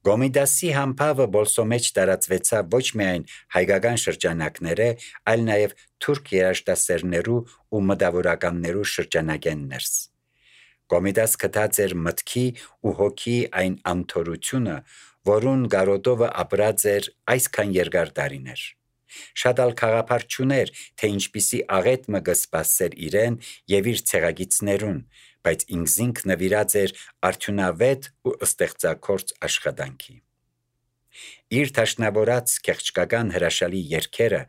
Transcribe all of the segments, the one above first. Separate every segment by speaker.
Speaker 1: Գոմիդասի համբավը բոլսո մեջ տարածվեցավ ոչ միայն հայկական շրջանակները, այլ նաև թուրք երաժշտասերներու ու մտավորականներու շրջանագեն ներս։ Գոմիդաս գտած էր մտքի ու հոգի այն ամթորությունը, որուն գարոտովը ապրած էր այսքան երկար տարիներ։ Շատ ալ խաղապար չուներ, թե ինչպիսի աղետ մը կսպասեր իրեն եւ իր ցեղագիցներուն, բայց ինքզինք նվիրած էր արդյունավետ ու ստեղծագործ աշխատանքի։ Իր թաշնավորած քեղճկական հրաշալի երգերը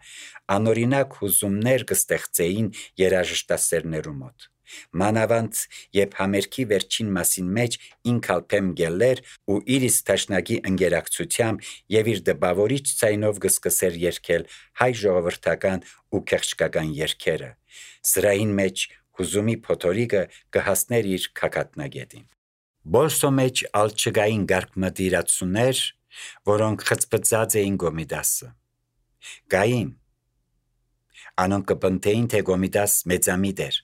Speaker 1: անօրինակ հուզումներ կստեղծեին երաժշտասերներու մոտ։ Մանավանդ երբ համերգի վերջին մասին մեջ ինքալփեմ գելեր ու իր իսկ թաշնագի ընկերակցությամբ եւ իր դպավորիչ ցայնով կսկսեր երգել հայ ժողովրդական ու քեղճկական երգերը, սրային մեջ հուզումի փոթորիկը կհասներ իր քակատնագետին։ Բոլսո մեջ ալ չկային գարկմդիրացուներ, որոնք խծպծած էին Գոմիդասը։ Գային անոնք կպնտեին, թե Գոմիդաս մեծամիտ էր,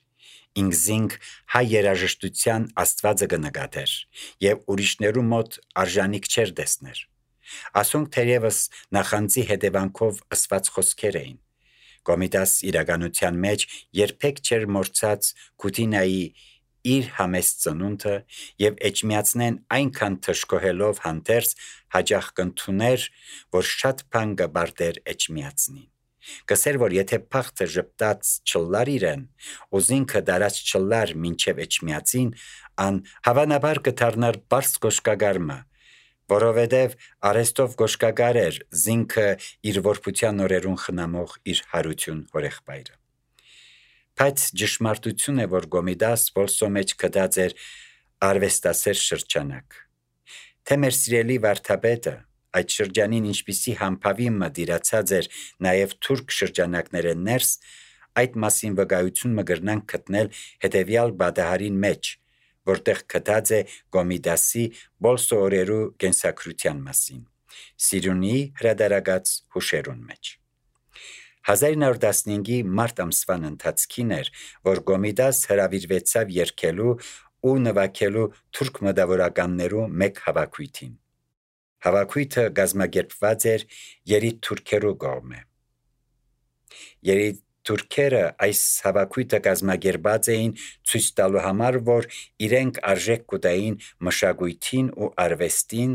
Speaker 1: ինքզինք հայ երաժշտության աստվածը կնկատեր եւ ուրիշներու մոտ արժանիք չէր տեսներ։ Ասոնք թերևս նախանձի հետևանքով ըսված խոսքեր էին։ Գոմիդաս իրականության մեջ երբեք չէր մորցած Քուտինայի իր համեստ ծնունդը եւ էջմիածնեն այնքան թշկոհելով հանդերձ հաջախ կընդուներ, որ շատ բան կբարտեր էջմիածնին։ Կսեր, որ եթե փախտը ժպտած չլար իրեն, ուզինքը դարած չլար մինչև էջմիածին, ան հավանաբար կդառնար բարձ գոշկագարմը, որովհետև արեստով գոշկագար էր զինքը իր որբության օրերուն խնամող իր հարություն հորեղբայրը։ Բայց ճշմարտություն է, որ Գոմիդաս բոլսո մեջ գտած էր արվեստասեր շրջանակ։ Թե մեր սիրելի վարդապետը այդ շրջանին ինչպիսի համբավի մը դիրացած էր նաև թուրք շրջանակները ներս, այդ մասին վկայություն մը գրնանք գտնել հետևյալ բադահարին մեջ, որտեղ գտած է Գոմիդասի բոլսո օրերու կենսակրության մասին, Սիրունիի հրադարագած հուշերուն մեջ։ 1915-ի մարտ ամսվան ընթացքին էր, որ Գոմիդաս հրավիրվեցավ երգելու ու նվագելու թուրք մտավորականներու մեկ հավաքույթին։ Հավաքույթը կազմակերպված էր երիտթուրքերու կողմէ։ Երիտթուրքերը այս հավաքույթը կազմակերպած էին ցույց տալու համար, որ իրենք արժեք կուտային մշակույթին ու արվեստին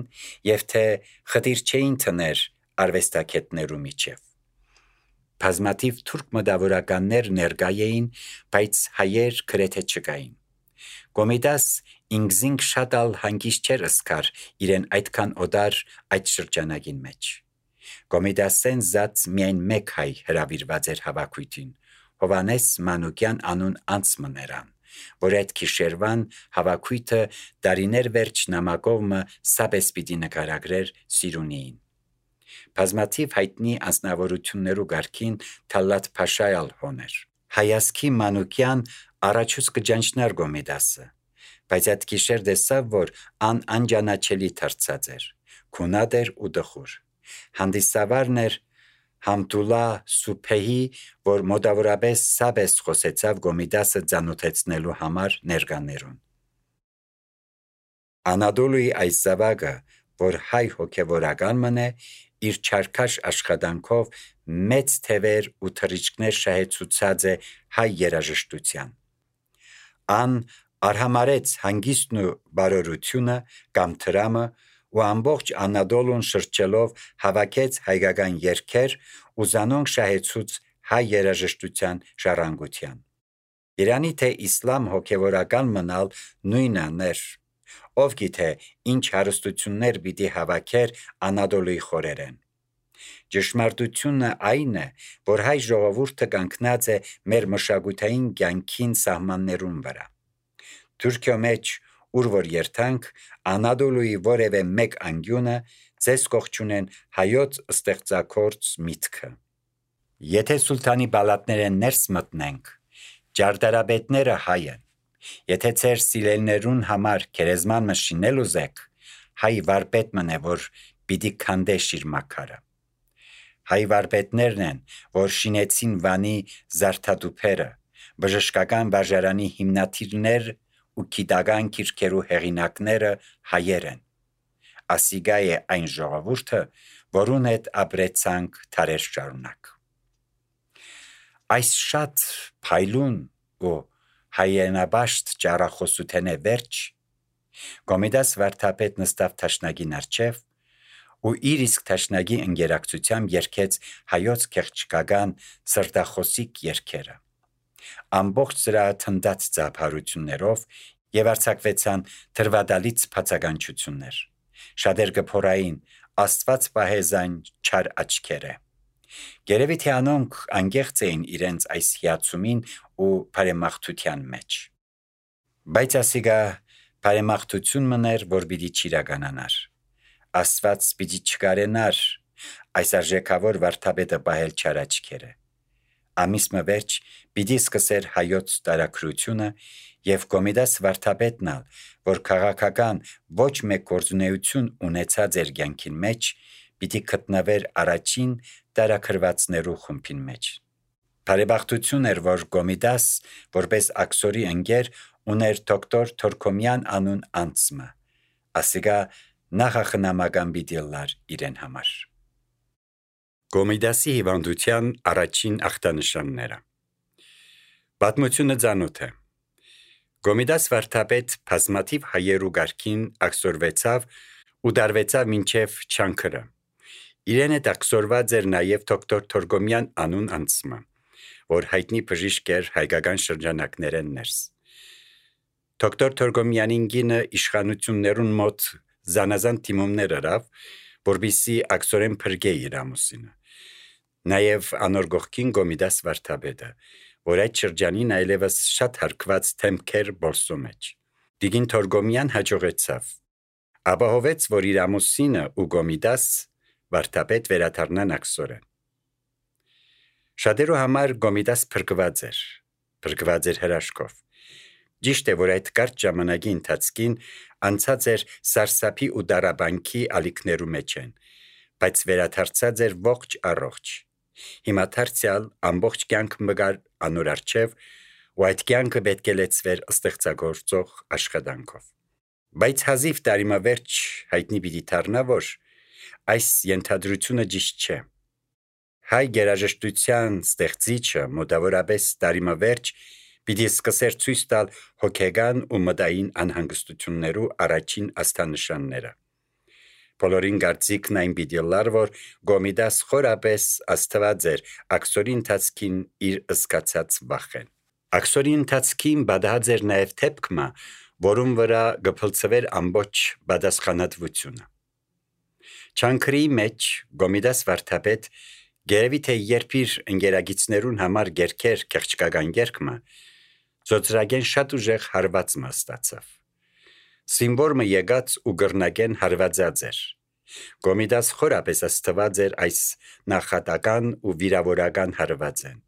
Speaker 1: եւ թե խտիր չէին թներ արվեստագետներու միջև։ Բազմաթիվ թուրք մտավորականներ ներկա էին, բայց հայեր գրեթե չկային։ Գոմիդաս ինքզինք շատ ալ հանգիստ չէր ըսկար իրեն այդքան օդար այդ շրջանագին մեջ։ Գոմիդասեն զած միայն մեկ հայ հրավիրված էր հավաքույթին, Հովանես Մանուկյան անուն անցմներան, որ այդ գիշերվան հավաքույթը դարիներ վերջ նամակովը սապես պիտի նկարագրեր Սիրունիին։ Բազմաթիվ հայտնի անձնավորություններու գարքին Թալլաթ Փաշայալ հոներ։ Հայասքի Մանուկյան առաջուց կջանչնար Գոմիդասը, բայց այդ գիշեր տեսավ, որ անջանաչելի դարձած էր, քունատ էր ու դխուր։ Հանդիսավարն էր Համդուլլա Սուփեհի, որ մոտավորապես սապես խոսեցավ Գոմիդասը ծանոթեցնելու համար ներկաներուն։ Անադոլուի այս զավակը, որ հայ հոգևորական մնե, իր չարքաշ աշխատանքով մեծ թևեր ու թռիչքներ շահեցուցած է հայ երաժշտության։ Ան արհամարեց հանգիստն ու բարօրությունը կամ թրամը ու ամբողջ Անադոլուն շրջելով հավաքեց հայկական երգեր ու զանոնք շահեցուց հայ երաժշտության ժառանգության։ Երանի թե իսլամ հոգևորական մնալ նույնաներ, ով գիտե ինչ հարստություններ պիտի հավաքեր Անադոլուի խորերեն։ Ճշմարտությունը այն է, որ հայ ժողովուրդը կանգնած է մեր մշակութային կյանքին սահմաններուն վրա։ Թուրքիո մեջ, ուր որ երթանք, Անադոլուի որևէ մեկ անկյունը ձեզ կողջունեն հայոց ստեղծագործ միտքը։ Եթե Սուլթանի պալատները ներս մտնենք, ճարտարապետները հայ են։ Եթե ձեր սիրելիներուն համար գերեզման մը շինել ուզեք, հայ վարպետն է, որ պիտի քանդե իր մաքարը։ Հայ վարպետներն են, որ շինեցին Վանի զարդատուփերը, բժշկական վարժարանի հիմնադիրներ ու գիտական գիրքերու հեղինակները հայեր են։ ասիգա է այն ժողովուրդը, որուն հետ ապրեցանք թարեր շարունակ։ Այս շատ փայլուն ու հայերենաբաշտ ճառախոսութենե վերջ Գոմիդաս վարդապետ նստավ թաշնագին առջև ու իր իսկ թաշնագի ընկերակցությամբ երգեց հայոց քեղճկական սրտախոսիկ երգերը։ Ամբողջ սրա թնդած ծափարություններով եւ արձակվեցան թրվադալից բացականչություններ։ Շատեր գփորային Աստված պահեզան չար աչքերը։ Գերեւի թե անոնք անգեղծ էին իրենց այս հիացումին ու բարեմաղթության մեջ։ Բայց ասիգա բարեմաղթություն մներ, որ պիտի չիրականանար։ Աստված պիտի չկարենար այս արժեքավոր վարդապետը պահել չար աչքերը։ Ամիս մը վերջ պիտի սկսեր հայոց տարաքրությունը եւ Գոմիդաս վարդապետն ալ, որ քաղաքական ոչ մեկ գործունեություն ունեցած էր կյանքին մեջ, պիտի գտնվեր առաջին տարաքրվածներու խումբին մեջ։ Բարեբախտություն էր, որ Գոմիդաս, որպես աքսորի ընկեր, ուներ դոկտոր Թորքոմյան անուն անձը, ասիգա նախախնամական պիտի լար իրեն համար։ Գոմիդասի հիվանդության առաջին ախտանշանները։ Պատմությունը ծանոթ է։ Գոմիդաս վարդապետ բազմաթիվ հայերու գարքին աքսորվեցավ ու դարվեցավ մինչև չանքրը։ Իրեն հետ աքսորված էր նաև դոկտոր Թորքոմյան անուն անձը, որ հայտնի բժիշկ էր հայկական շրջանակներեն ներս։ Դոկտոր Թորքոմյանին գինը իշխանություններուն մոտ զանազան թիմումներ արավ, որբիսի աքսորեն փրկե իր ամուսինը։ Նաև անոր գողքին Գոմիդաս վարդապետը, որ այդ շրջանին այլևս շատ հարկված թեմքեր բոլսո մեջ։ Տիկին Թորքոմյան հաջողեցավ։ Ապահովեց, որ իր ամուսինը ու Գոմիդաս վարդապետ վերադառնան աքսորեն։ Շատերու համար Գոմիդաս փրկված էր հրաշքով։ Ճիշտ է, որ այդ կարճ ժամանակի ընթացքին անցած էր սարսափի ու դարաբանքի ալիքներու մեջ են, բայց վերադարձած էր ողջ առողջ։ Հիմա դարձյալ ամբողջ կյանք մգար անոր առջև ու այդ կյանքը պետք է լեցվեր ստեղծագործող աշխատանքով։ Բայց հազիվ տարիմավերջ հայտնի պիտի դառնա, որ այս ենթադրությունը ճիշտ չէ։ Հայ գերաժշտության ստեղծիչը մոտավորապես տարիմավերջ պիտի սկսեր ցույց տալ հոգեգան ու մտային անհանգստություններու առաջին աստանշանները։ Բոլորին կարծիքն այն պիտի լար, որ Գոմիդաս խորապես աստված էր աքսորի ընթացքին իր ըսկացած վախեն։ Աքսորի ընթացքին բադահած էր նաև թեփքմա, որում վրա գփլցվեր ամբողջ բադասխանատվությունը։ Չանքրի մեջ Գոմիդաս վարդապետ գերեւի թե երբ իր ընկերագիցներուն համար գերքեր քեղճկական երգը, ծոցրագեն շատ ուժեղ հարված մաստացավ։ Սիմվորմը եկած ու գրնագեն հարվածած էր։ Գոմիդաս խորապես աստված էր այս նախատական ու վիրավորական հարվածեն,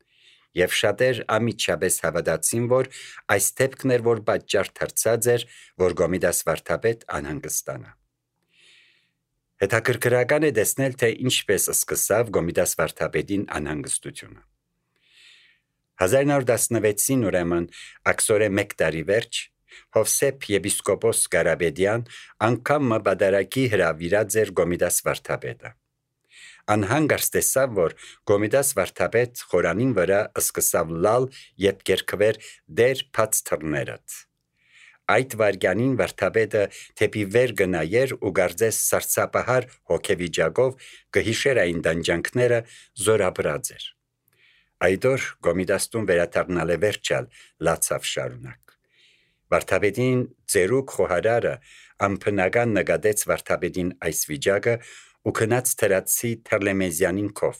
Speaker 1: եւ շատեր ամիջապես հավատացին, որ այս դեպքն էր, որ պատճառ դարձած էր, որ Գոմիդաս վարդապետ անհանգստանա։ Հետաքրքրական է տեսնել, թե ինչպես սկսավ Գոմիդաս վարդապետին անհանգստությունը։ 1916-ին ուրեմն աքսորե 1 տարի վերջ Հովսեփ եպիսկոպոս Կարապետյան անգամ բադարակի հրավիրած էր Գոմիդաս վարդապետը։ Անհանգարց տեսավ, որ Գոմիդաս վարդապետ խորանին վրա սկսավ լալ եւ կերկվեր դեր բաց թռներըտ։ Այդ վարյանին վարդապետը թեպի վեր գնայեր ու գարձես սարսափահար հոգեվիճակով կհիշեր այն դանջանքները զորաբրած էր։ Այդ օր Գոմիդաստուն վերադառնալ է վերջալ լացավ շարունակ։ Վարդապետին ծերուկ խոհարարը ամփնական նկատեց վարդապետին այս վիճակը ու քնած թրացի Թերլեմեզյանին կով։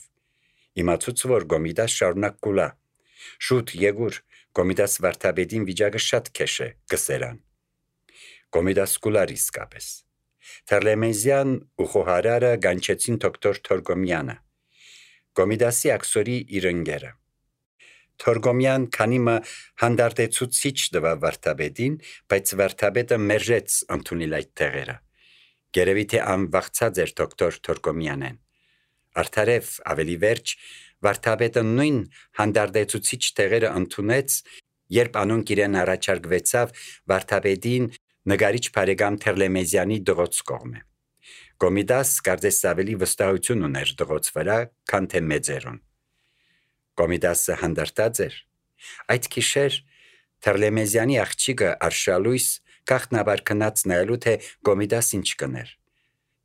Speaker 1: Իմացուց, որ Գոմիդաս շարունակ կուլա։ Շուտ եկուր Գոմիդաս վարդապետին վիճակը շատ քեշ է գսերան։ Գոմիդաս կուլար իսկապես։ Թերլեմեզյան ու խոհարարը գանչեցին դոկտոր Թորքոմյանը, Գոմիդասի աքսորի իր ընկերը։ Թորքոմյան քանիմը հանդարտեցուցիչ տվավ վարդապետին, բայց վարդապետը մերժեց ընդունել այդ տեղերը։ Գերեւի թե անվախցած էր դոկտոր Թորքոմյանեն։ Արդարև ավելի վերջ վարդապետը նույն հանդարտեցուցիչ տեղերը ընդունեց, երբ անոնք իրեն առաջարկվեցավ վարդապետին նկարիչ բարեկամ Թերլեմեզյանի դղոց կողմը։ Գոմիդաս կարծես ավելի վստահություն ուներ դղոց վրա, քան թե մեծերուն։ Գոմիդասը հանդարտած էր։ Այդ գիշեր Թերլեմեզյանի աղջիկը Արշալույս գախտնաբար քնած նայելու թե Գոմիդաս ինչ կներ։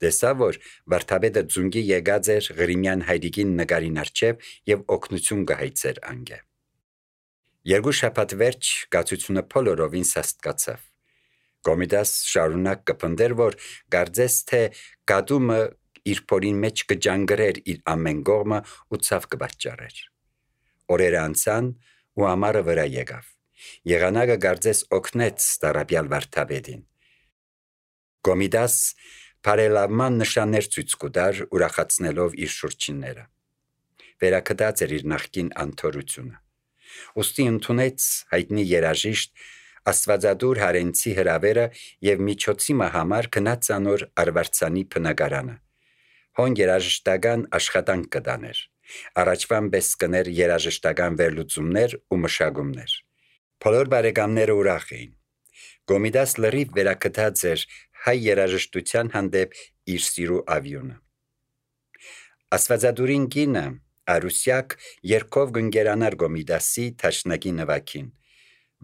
Speaker 1: Տեսավ, որ Վարդապետը ձունգի եկած էր Ղրիմյան հայրիկին նկարին առջև եւ օգնություն կհայցեր անգե։ Երկու շաբաթ վերջ գացությունը բոլորովին սաստկացավ։ Գոմիդաս շարունակ կփնդեր, որ կարծես թե գադումը իր փորին մեջ կջանգրեր իր ամեն կողմը ու ցավ կբաճարեր։ Օրերը անցան ու ամառը վրա եկավ։ Եղանակը կարծես օգնեց Տարաբյալ Վարդապետին։ Գոմիդաս բարելավման նշաններ ցույց կտար, ուրախացնելով իր շուրջինները։ Վերակդած էր իր նախկին անթորությունը։ Ոստի ընդունեց հայտնի երաժիշտ Աստվածադուր Հարենցի հրավերը եւ միջոցի համար գնաց անոր Արվարձանի բնակարանը։ Հոն երաժշտական աշխատանք կդաներ։ Առաջվան պես կներ երաժշտական վերլուծումներ ու մշակումներ։ Բոլոր բարեկամները ուրախ էին։ Գոմիդաս լրիվ վերակդած էր հայ երաժշտության հանդեպ իր սիրու ավյունը։ Աստվածադուրին կինը Արուսյակ երկով գնգերանար Գոմիդասի թաշնակի նվակին։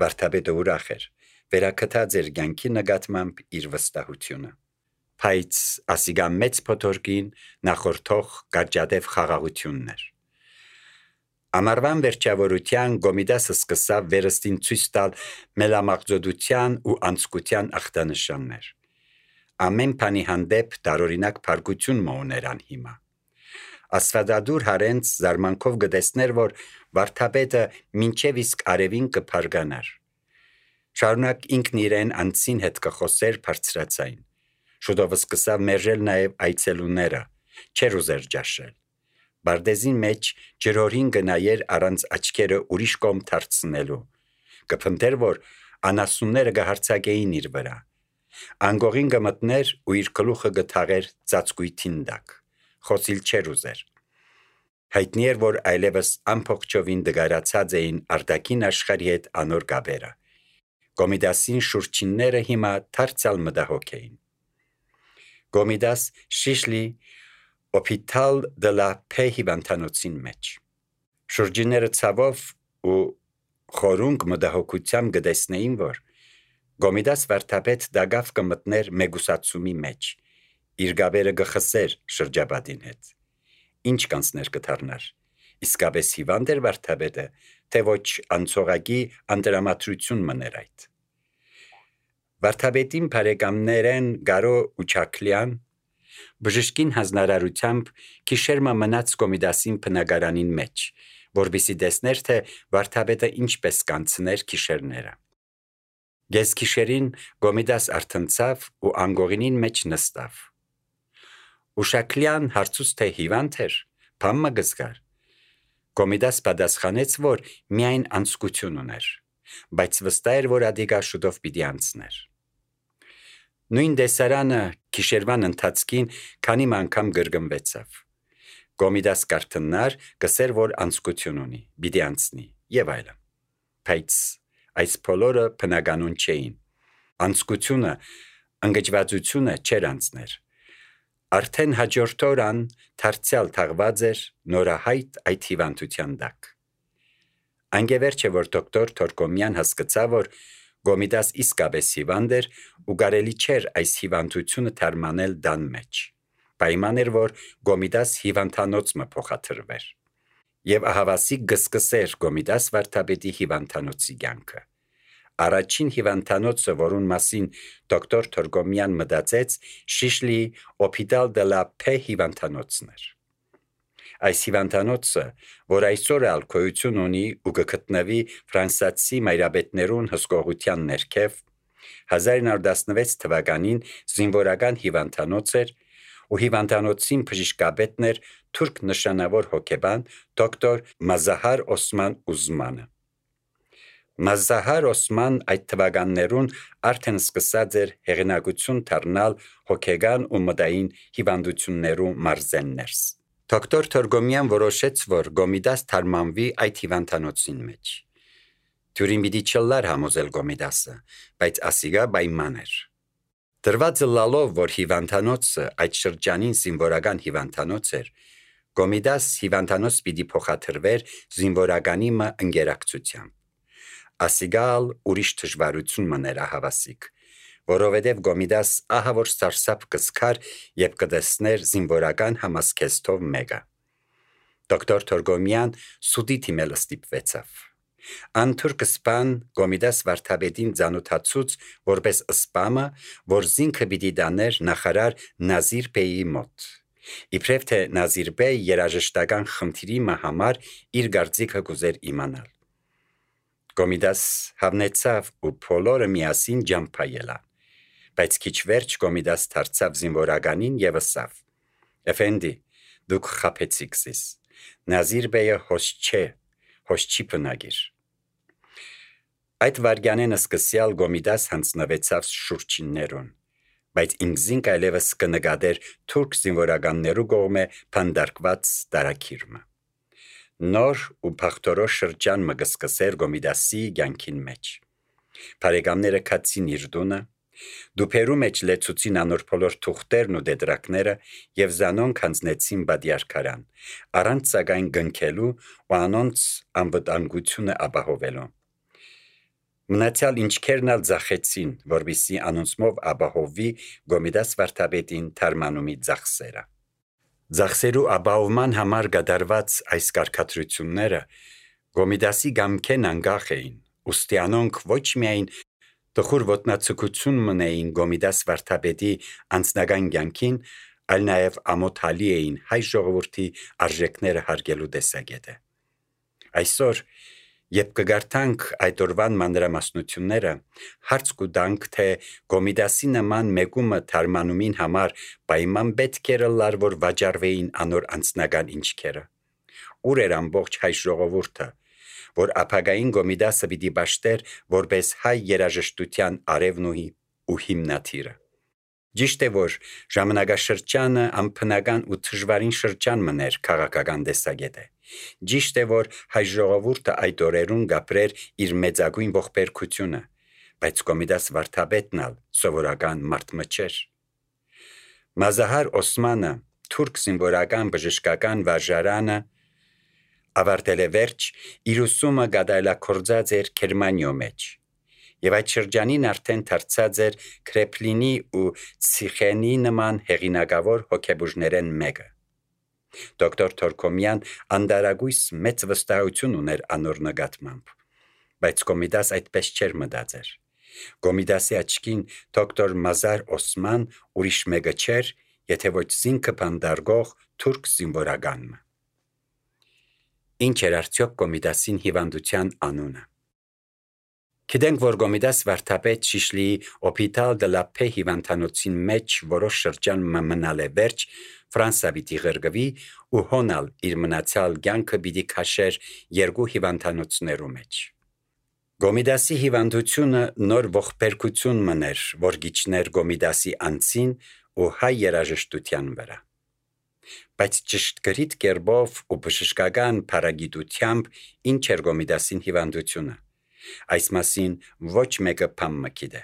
Speaker 1: Վարդապետը ուրախ էր, վերակդած էր կյանքի նկատմամբ իր վստահությունը։ Բայց ասիգա մեծ փոթորկին նախորդող կարճատև խաղաղությունն էր։ Ամառվան վերջավորության Գոմիդասը սկսավ վերստին ցույց տալ մելամաղձոդության ու անցկության ախտանշաններ։ Ամեն բանի հանդեպ տարօրինակ փառքություն մոուներան հիմա։ Աստվածադուր Հարենց զարմանքով գտեսներ, որ Վարդապետը մինչև իսկ արևին կփարգանար։ Շարունակ ինքն իրեն անցին հետ կխոսեր բարձրացային։ Շուտով սկսավ մերժել նաև այցելուները, չեր ուզեր ճաշել։ Բարդեզին մեջ ջրորին գնայեր առանց աչքերը ուրիշ կողմ դարձնելու։ Կփնտեր, որ անասունները կհարցակեին իր վրա։ Անգողին կմտներ ու իր գլուխը կթաղեր ծածկույթին տակ։ Խոսիլ չեր ուզեր։ Հայտնի էր, որ այլևս ամփոփչովին դգարացած էին արտաքին աշխարհի հետ անոր կապերը։ Գոմիդասին շուրջինները հիմա դարձյալ մտահոգ էին։ Գոմիդաս Շիշլի Հոպիտալ դե լա Փե հիվանդանոցին մեջ։ Շուրջինները ցավով ու խորունկ մտահոգությամբ գտեսնեին, որ Գոմիդաս Վարդապետ դագավ կմտներ մեգուսացումի մեջ։ Իր գաբերը գխսեր շրջապատին հետ։ Ինչ կանցներ կդառնար։ Իսկապես հիվանդ էր Վարդապետը, թե ոչ անցողակի անդրամատրություն մներ այդ։ Վարդապետին բարեկամներեն Գարո ու Չակլյան բժշկին հանձնարարությամբ գիշերմա մնաց Գոմիդասին բնակարանին մեջ, որպեսզի տեսներ, թե Վարդապետը ինչպես կանցներ գիշերները։ Գես գիշերին Գոմիդաս արթնցավ ու անգողինին մեջ նստավ։ Ուշակլյան հարցուց թե հիվանդ էր, բամը գզգար։ Գոմիդաս պատասխանեց, որ միայն անցկություն ուներ, բայց վստահ էր, որ ադիգա շուտով պիտի անցներ։ Նույն դեսարանը գիշերվան ընթացքին քանի անգամ գրգմվեցավ։ Գոմիդաս կարթնար գսեր, որ անցկություն ունի, պիտի անցնի եւ այլն։ Բայց այս բոլորը բնականon չէին։ Անցկությունը, ընկճվածությունը չէր անցներ։ Արդեն հաջորդ օրան դարձյալ թաղված էր նորահայտ այդ հիվանդության տակ։ Անգևերջ է, որ դոկտոր Թորկոմյան հասկացավ, որ Գոմիդաս իսկապես հիվանդ էր ու կարելի չէր այս հիվանդությունը թարմանել դան մեջ։ Պայման էր, որ Գոմիդաս հիվանդանոցը փոխադրվեր։ Եվ ահավասիկ գսկսեր Գոմիդաս Վարդապետի հիվանդանոցի կյանքը։ Առաջին հիվանդանոցը, որուն մասին դոկտոր Թորկոմյան մտածեց, Շիշլի Հոպիտալ դե լա Փե հիվանդանոցն էր։ Այս հիվանդանոցը, որ այսօր ալկոյություն ունի ու կգտնվի ֆրանսիացի մայրապետներուն հսկողության ներքև, 1916 թվականին զինվորական հիվանդանոց էր ու հիվանդանոցին բժշկապետն էր թուրք նշանավոր հոգեբան դոկտոր Մազահար Օսման Ուզմանը։ Մազահար Օսման այդ թվականներուն արդեն սկսած էր հեղինակություն դառնալ հոգեգան ու մտային հիվանդություններու մարզեններս։ Դոկտոր Թորկոմյան որոշեց, որ Գոմիդաս թարմանվի այդ հիվանդանոցին մեջ։ Թյուրին պիտի չլար համոզել Գոմիդասը, բայց ասիգա պայման էր։ Դրվածը լալով, որ հիվանդանոցը այդ շրջանին զինվորական հիվանդանոց էր, Գոմիդաս հիվանդանոց պիտի փոխադրվեր զինվորականի մը ընկերակցությամբ։ Ասիգալ ուրիշ դժվարություն մներ հավասիկ, որովհետև Գոմիդաս ահա որ սարսափ կսկար եւ կդեսներ զինվորական համասկեստով մեկը։ Դոկտոր Թորգոմյան սուդի թիմել ստիպվեցավ։ Անթուրք սպան Գոմիդաս վարդապետին ծանոթացուց որպես սպամը, որ զինքը պիտի դաներ նախարար Նազիր Բեյի մոտ։ Իբրև թե Նազիր Բեյ երաժշտական խնդիրի համար իր գործիքը կուզեր իմանալ։ Գոմիդաս հավնեցավ ու բոլորը միասին ջամփայելան, բայց քիչ վերջ Գոմիդաս դարձավ զինվորականին եւ ասավ. «Էֆենդի, դուք խափեցիք զիս։ Նազիր Բեյը հոս չի բնագիր»։ Այդ վարգյանեն սկսյալ Գոմիդաս հանձնվեցավ շուրջիններուն, բայց ինքզինք այլևս կնկատեր թուրք զինվորականներու կողմէ փանդարկված տարակիրմը։ Նոր ու փախտորոշ շրջան մը կսկսեր Գոմիդասի կյանքին մեջ։ Բարեկամները քացին իր տունը, դուփերու մեջ լեցուցին անոր բոլոր թուղթերն ու դետրակները եւ զանոնք հանձնեցին բադիարքարան, առանց սակայն գնքելու ու անոնց անվտանգությունը ապահովելու։ Մնացյալ ինչքերն ալ ձախեցին, որպեսզի անոնցմով ապահովվի Գոմիդաս վարդապետին թարմանումի ծախսերը։ Ծախսերու ապահովման համար կատարված այս կարգադրությունները Գոմիդասի գամքեն անգախ էին, ուստի անոնք ոչ միայն տխուր ոտնացկություն մնային Գոմիդաս վարդապետի անձնական կյանքին, այլ նաև ամոթալի էին հայ ժողովրդի արժեքները հարգելու տեսակետը։ Այսօր, երբ կգարտանք այդ օրվան մանրամասնությունները, հարց կուտանք, թե Գոմիդասի նման մեկումը թարմանումին համար պայման պետք էր լար, որ վաճառվեին անոր անձնական ինչքերը։ Ուր էր ամբողջ հայ ժողովուրդը, որ ապագային Գոմիդասը պիտի պաշտեր որպես հայ երաժշտության արևն ու հիմնադիրը։ Ճիշտ է, որ ժամանակաշրջանը անբնական ու դժվարին շրջան մներ քաղաքական տեսակետը։ Ճիշտ է, որ հայ ժողովուրդը այդ օրերուն գապրեր իր մեծագույն ողբերգությունը, բայց Գոմիդաս վարդապետն ալ սովորական մարդ չէր։ Մազահար Օսմանը թուրք զինվորական բժշկական վարժարանը ավարտել է վերջ, իր ուսումը գադայլակորձած էր Գերմանիո մեջ, եւ այդ շրջանին արդեն դարձած էր Քրեպլինի ու Ցիխենի նման հեղինակավոր հոգեբուժներեն մեկը։ Դոկտոր Թորգոմյան անդարագույս մեծ վստահություն ուներ անոր նկատմամբ, բայց Գոմիդաս այդպես չէր մտածեր։ Գոմիդասի աչքին դոկտոր Մազար Օսման ուրիշ մեկը չէր, եթե ոչ զինքը բանդարգող թուրք զինվորականը։ Ինչ էր արդյոք Գոմիդասին հիվանդության անունը։ Գիտենք, որ Գոմիդաս վարդապետ Շիշլիի Հոպիտալ դե լա Փե հիվանդանոցին մեջ որոշ շրջան մնալ է վերջ, Ֆրանսա պիտի ղրկվի ու հոնալ իր մնացյալ կյանքը պիտի քաշեր երկու հիվանդանոցներու մեջ։ Գոմիդասի հիվանդությունը նոր ողբերգություն մներ, որ գիչներ Գոմիդասի անձին ու հայ երաժշտության վրա։ Բայց ճշգրիտ կերպով ու բժշկական փարագիտությամբ ինչ էր Գոմիդասին հիվանդությունը։ Այս մասին ոչ մեկը բան մգիտե։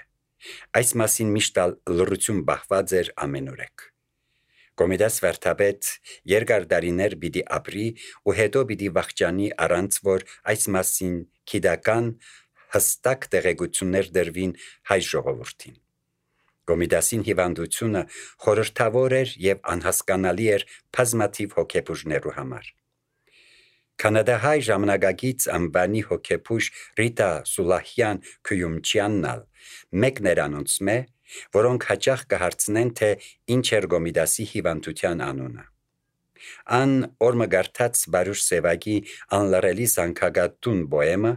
Speaker 1: Այս մասին միշտ լռություն բախված էր ամենուրեք։ Գոմիդաս վարդապետ երկար տարիներ պիտի ապրի ու հետո պիտի վախճանի առանց որ այս մասին գիտական հստակ տեղեկություններ դրվին հայ ժողովրդին։ Գոմիդասին հիվանդությունը խորհրդավոր էր եւ անհասկանալի էր բազմաթիվ հոգեբուժներու համար։ Կանադահայ ժամանակակից անվանի հոգեբուժ Ռիտա Սուլահյան Քյումչյաննալ մեկն էր անոնցմե, որոնք հաճախ կհարցնեն, թե ինչ էր Գոմիդասի հիվանդության անունը։ Ան օրմը գարտած Բարուշ Սևակի անլարելի զանգագատուն պոեմը,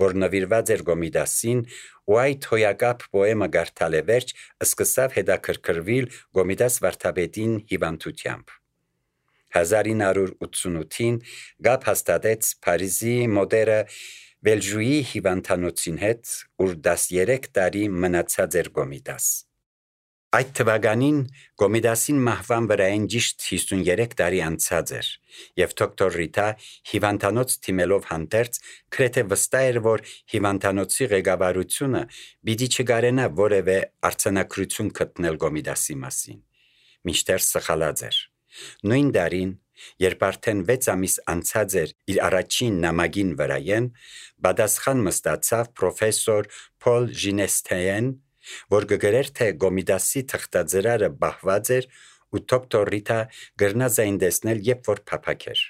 Speaker 1: որ նվիրված էր Գոմիդասին, ու այդ հոյակապ պոեմը գարտալ է վերջ, սկսավ հետաքրքրվել Գոմիդաս վարդապետին հիվանդությամբ։ 1988-ին գապ հաստատեց Փարիզի մոդերը Վելժուի հիվանդանոցին հետ, ուր 13 տարի մնացած էր Գոմիդաս։ Այդ թվականին Գոմիդասին մահվան վրայեն ճիշտ 53 տարի անցած էր, եւ դոկտոր Ռիտա հիվանդանոց թիմելով հանդերձ գրեթե վստահ էր, որ հիվանդանոցի ղեկավարությունը պիտի չգարենա որևէ արձանագրություն գտնել Գոմիդասի մասին, մինչդեռ սխալած էր։ Նույն տարին, երբ արդեն 6 ամիս անցած էր իր առաջին նամակին վրայեն, պատասխան մստացավ պրոֆեսոր Փոլ Ժինեստեեն, որ գգրեր թե Գոմիդասի թղթաձրարը բահված էր ու դոկտոր Ռիտա գրնա զայն տեսնել, երբ որ փափակ էր։